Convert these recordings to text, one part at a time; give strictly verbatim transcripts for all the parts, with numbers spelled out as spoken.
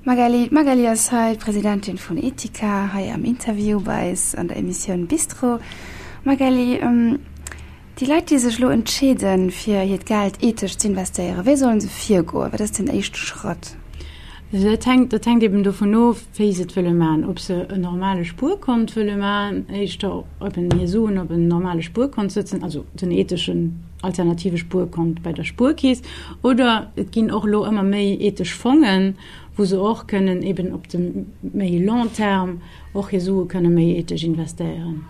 Magali, D'Magali ass hei, d'Presidentin vun Etika, hei am Interview bei eis an der Emissioun Bistro. Magali, déi Leit, déi sech elo entscheeden, fir hiert Geld ethesch z'investéieren, wéi sollen se virgoen? Wat ass den éischte Schratt? Also dat hänkt, dat hänkt eben dovun of, wéi se et wëlle maachen, ob se en normale Spuerkont wëlle maachen, éischter eben hir Suen op en normale Spuerkont sëtzen, also den etheschen alternative Spuerkont bei der Spuerkeess, oder et ginn och elo ëmmer méi ethesch Fongen, wou se och kënnen eben op de méi long terme och hir Sue kënne méi ethesch investéieren.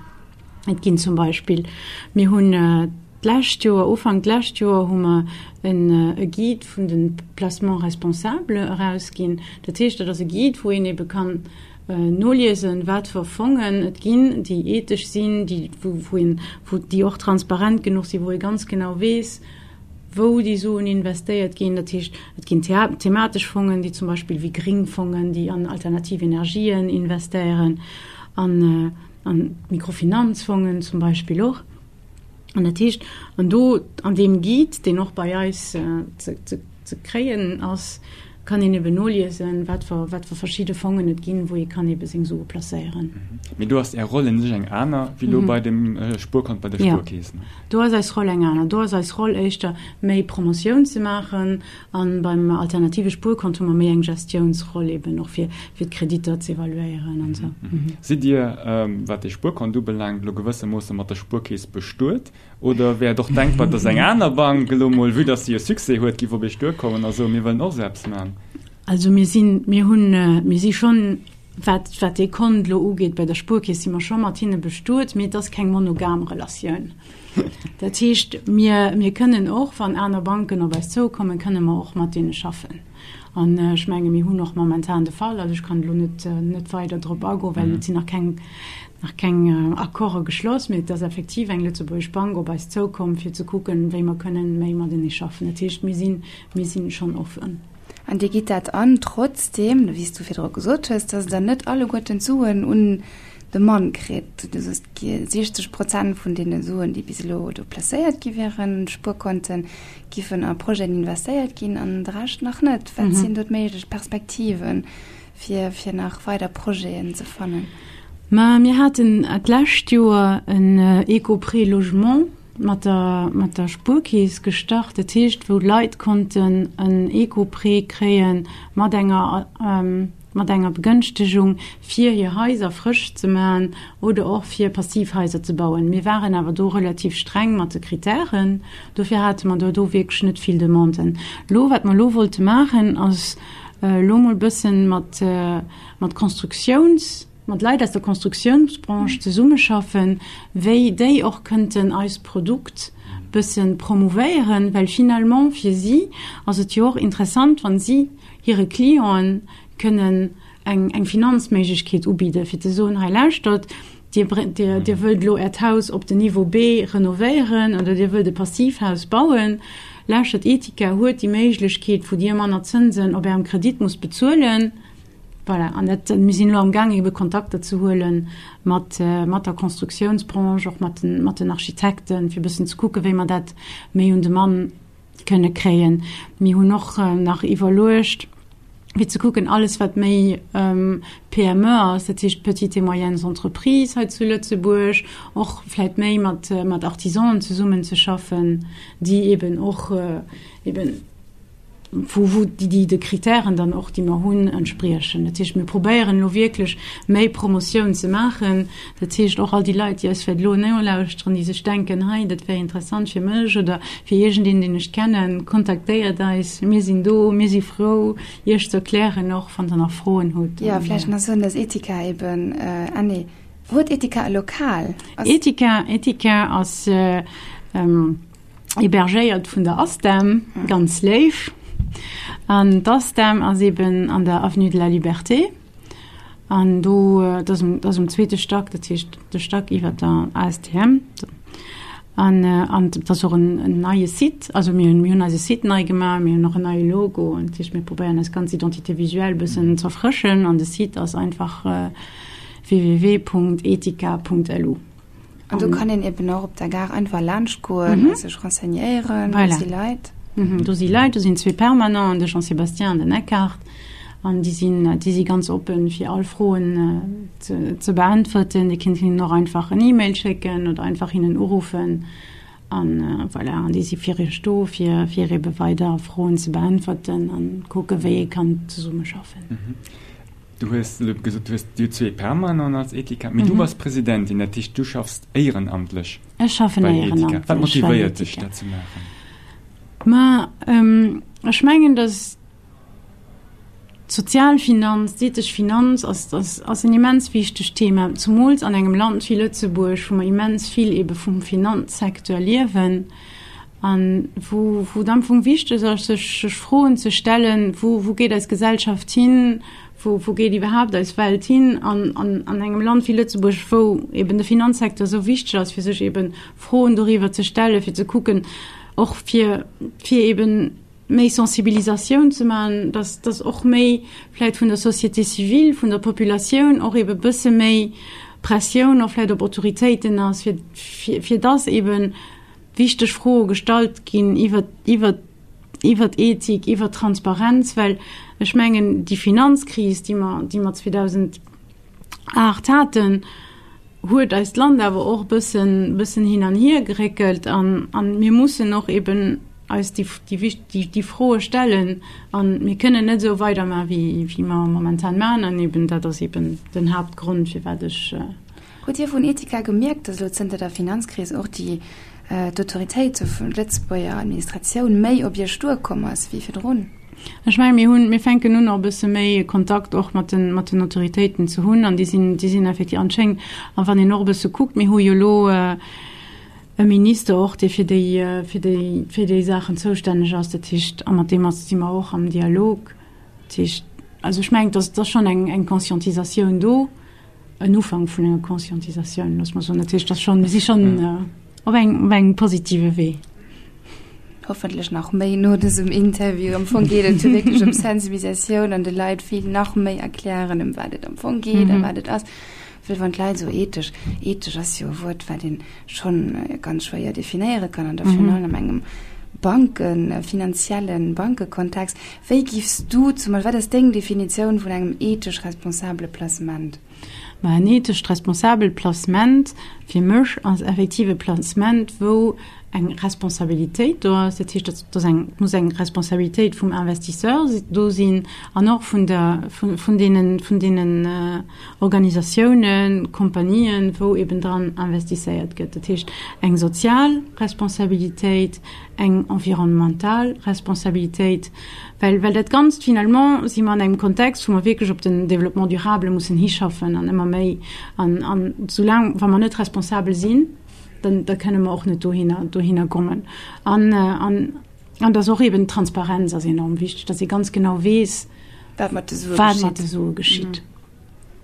Et ginn zum Beispill, mir hunn d'lescht Joer, Ufank d'lescht Joer hu mer en e Guide vun de Placements responsables erausginn. Dat heescht, dat ass e Guide, wou een ebe kann noliesen, wat fir Fongen et ginn, déi ethesch sinn, déi, wou, wou een, wou déi och transparent genuch sinn, wou ee ganz genau weess, wou déi Suen investéiert ginn. Dat heescht, et ginn thematesch Fongen, déi zum Beispill wéi gring Fongen, déi an alternativ Energien investéieren, an an Mikrofinanzfongen zum Beispill och. An dat heescht, an do an deem Guide, deen och bei eis ze ze kréien ass, kann een eben noliesen, wat fir wat fir verschidde Fongen et ginn, wou ee kann ebe seng Sue placéieren. Mee do ass Är Roll un sech eng aner wéi elo bei dem Spuerkont bei der Spuerkeess, ne? Jo, do ass eis Roll eng aner. Do ass eis Roll éischter méi Promotioun ze maachen an beim alternative Spuerkont hu mer méi eng Gestiounsroll eben och fir fir d'Kreditter z'evaluéieren an esou. Sidd Dir, wat dee Spuerkont ubelaangt, elo gewëssermoosse mat der Spuerkeess bestuet? Oder wär et och denkbar, dass eng aner Bank elo mol, vue dass se jo Succès huet, giff op Iech duerkommen a soen, mir wëllen och esou eppes maachen? Also mir sinn, mir hunn, mir si schonn, wat, wat dee Kont elo ugeet bei der Spuerkeess, si mer scho mat hinne bestuet, mee et ass keng monogam Relatioun. Dat heescht, mir, mir kënnen och, wann aner Banken op eis zoukommen, kënne mer och mat deene schaffen. An ech menge mir hunn och momentan de Fall, also ech kann elo net, net weider drop agoen, well et sinn nach keng, nach keng Accorde geschloss, mee et ass effektiv eng lëtzebuergesch Bank op eis zoukomm, fir ze kucken, wéi mer kënnen méi matenee schaffen. Dat heescht, mir sinn, mir sinn schonn offen. An Dir gitt dat an, trotzdeem, wéi s du virdru gesot hues, dass Der net alleguerten d'Suen un de Mann kritt. Du soos, siechzeg Prozent vun deene Suen, déi bis elo do placéiert gi wieren, Spuerkonten, giffen a Projeten investéiert ginn an de Rescht nach net. Wat sinn do d'méiglech Perspektiven, fir, fir nach weider Projeten ze fannen? Ma mir haten d'lescht Joer en Eco-Prêt Logement mat der, mat der Spuerkeess gestart, dat heescht, wou d'Leit konnten en Eco-Prêt kréie mat enger, mat enger Begënschtegung, fir hir Haiser frësch ze maachen oder och fir Passivhaiser ze bauen. Mir waren awer do relativ streng mat de Kritären, dofir hate mer do do wierklech net vill Demanden. Elo, wat mer elo wollte maachen, ass elo mol bëssen mat, mat Constructiouns, mat Leit aus der Constructiounsbranche zesummeschaffen, wéi déi och kënnten eist Produkt bësse promouvéieren, well finalement fir si ass et jo och interessant, wa si hire Clienten kënnen eng, eng Finanzméiglechkeet ubidden, fir ze soen, hei lauschtert, Dir, Dir, Dir wëllt elo Äert Haus op den Niveau B renovéieren oder Dir wëllt e Passivhaus bauen, lauschtert, Etika huet déi Méiglechkeet, wou Dir manner Zënsen op Ärem Kredit musst bezuelen. Voilà, an dat, mir sinn elo amgaang ebe Kontakter ze huele mat, mat der Constructiounsbranche, och mat den, mat den Architekten, fir e bëssen ze kucken, wéi mer dat méi un de Mann kënne kréien. Mir hunn och nach iwwerluecht, fir ze kucken, alles wat méi P M E ass, dat heescht Petites et moyennes entreprises hei zu Lëtzebuerg, och vläicht méi mat, mat Artisanen zesummenzeschaffen, déi eben och eben wou, wou déi, déi de Kritären dann och, déi mer hunn, entspriechen. Dat heescht, mir probéieren elo wierklech méi Promotioun ze maachen. Dat heescht, och all déi Leit, déi eis vläicht elo nolauschteren, déi sech denken, hei, dat wär interessant fir mech oder fir iergendeen, deen ech kennen, kontaktéiert eis. Mir sinn do, mir si frou, Iech ze erklären, och wann Der nach Froen hutt. Jo, vläicht nach soen, dass Etika eben, ah nee, huet Etika e Lokal? Ass. Etika, Etika ass hébergéiert vun der ASTEM, ganz léif. An d'ASTEM ass eben an der Avenue de la Liberté. An do, dat ass um, dat ass um zweete Stack, dat heescht de Stack iwwer der A S T M. An, an dat ass och en, en neie Site. Also mir hunn, mir hunn eise Site nei gemaach, mir hunn och en neie Logo. Dat heescht, mir probéieren eis ganz Identité visuelle e bëssen z'erfrëschen. An de Site ass einfach w w w punkt etika punkt l u. An do kann een eben och op der Gare einfach laanscht goen a sech renseignéieren. Do si Leit. Do si Leit, do sinn zwee Permanenten, de Jean-Sébastien an den Eckhart. An déi sinn, déi si ganz oppen, fir all Froen ze, ze beäntwerten. Dir kinnt hinnen och einfach en E-Mail schécken oder einfach hinnen uruffen. An voilà, an déi si fir iech do, fir, fir ebe weider Froen ze beäntwerten an kucke wéi ee kann zesummeschaffen. Du hues elo gesot, du hues dir zwee Permanenten als Ethika, mee du bass Presidentin, dat heescht du schaffs éierenamtlech Ech schaffen bei Ethika. éierenamtlech Wat bei motivéiert dech Ethika. dat ze maachen? Ma ech mengen, datt d'Sozialfinanz, d'ethesch Finanz ass, ass, ass en immens wichtegt Thema, zumools an engem Land wéi Lëtzebuerg, wou mer immens vill ebe vum Finanzsecteur liewen a wou, wou et am Fong wichteg ass, sech, sech Froen ze stellen, wou, wou geet eis Gesellschaft hin, wou, wou geet iwwerhaapt eis Welt hin an, an, an engem Land wéi Lëtzebuerg, wou eben de Finanzsecteur esou wichteg ass, fir sech eben Froen doriwwer ze stellen, fir ze kucken, och fir, fir eben méi Sensibilisatioun ze maachen, dass, dass och méi vläicht vun der Société civile, vun der Populatioun och eben e bësse méi Pressioun och vläicht op Autoritéiten ass, fir, fir, fir dass eben wichteg Froe gestallt ginn iwwer, iwwer, iwwer Ethik, iwwer Transparenz, well ech mengen, déi Finanzkris, déi mer, déi mer zweedausendacht haten, huet eist Land awer och e bëssen, bëssen hin an hier geréckelt an, an mir mussen och eben eis déi, déi, déi, déi Froe stellen an mir kënnen net esou weidermachen, wéi, wéi mer momentan maachen an eben dat ass eben den Haaptgrond, firwat ech. Hutt Dir vun Ethika gemierkt, dass elo zënter der Finanzkris och déi, d'Autoritéite vun Lëtzebuerger Administratioun méi op Iech duerkomm ass wéi virdrun? Ech mengen, mir hunn, mir fänken un och e bësse méi Kontakt och mat den, mat den Autoritéiten ze hunn an déi sinn, déi sinn effektiv anschéngend, a wann een och e bësse kuckt, mir hu jo elo e Minister och, dee fir déi, fir déi, fir déi Saachen zoustänneg ass, dat heescht, a mat deem ass, si mer och am Dialog. Dat heescht, also ech mengen, dass, dass schonn eng, eng Conscientisatioun do, en Ufank vun enger Conscientisatioun, loosse mer soen. Dat heescht, dass schonn, mir si schonn op engem, op engem positive Wee. Hoffentlech nach méi no dësem Interview. Am Fong geet et jo wierklech ëm Sensibilisatioun an de Leit vill nach méi erklären, ëm wat et am Fong geet a wat et ass. Well wann d'Leit esou ethesch, ethesch ass jo e Wuert, wat ee schonn ganz schwéier definéiere kann an da virun allem engem Banken, finanziellen Bankekontext. Wéi giffs du zum Beispill, wat ass deng Definitioun vun engem ethesch responsabele Placement? Ma en ethescht responsabelt Placement fir mech ass effektiv e Placement, wou eng Responsabilitéit do ass. Dat heescht, dass dass eng, et muss eng Responsabilitéit vum Investisseur do sinn an och vun der, vun, vun deenen, vun deenen Organisatiounen, Kompanien, wou eben dran investisséiert gëtt. Dat heescht, eng sozial Responsabilitéit, eng environnemental Responsabilitéit, well, well dat Ganzt finalement si mer an engem Kontext, wou mer wierklech op den Développement durable mussen hischaffen an ëmmer méi. An, an soulaang, wa mer net responsabel sinn, dann, da kënne mer och net dohinner, dohinner kommen. An, an, an dass och eben d'Transparenz ass enorm wichteg, dass ee ganz genau weess, wat mat de Sue wat mat de Sue geschitt.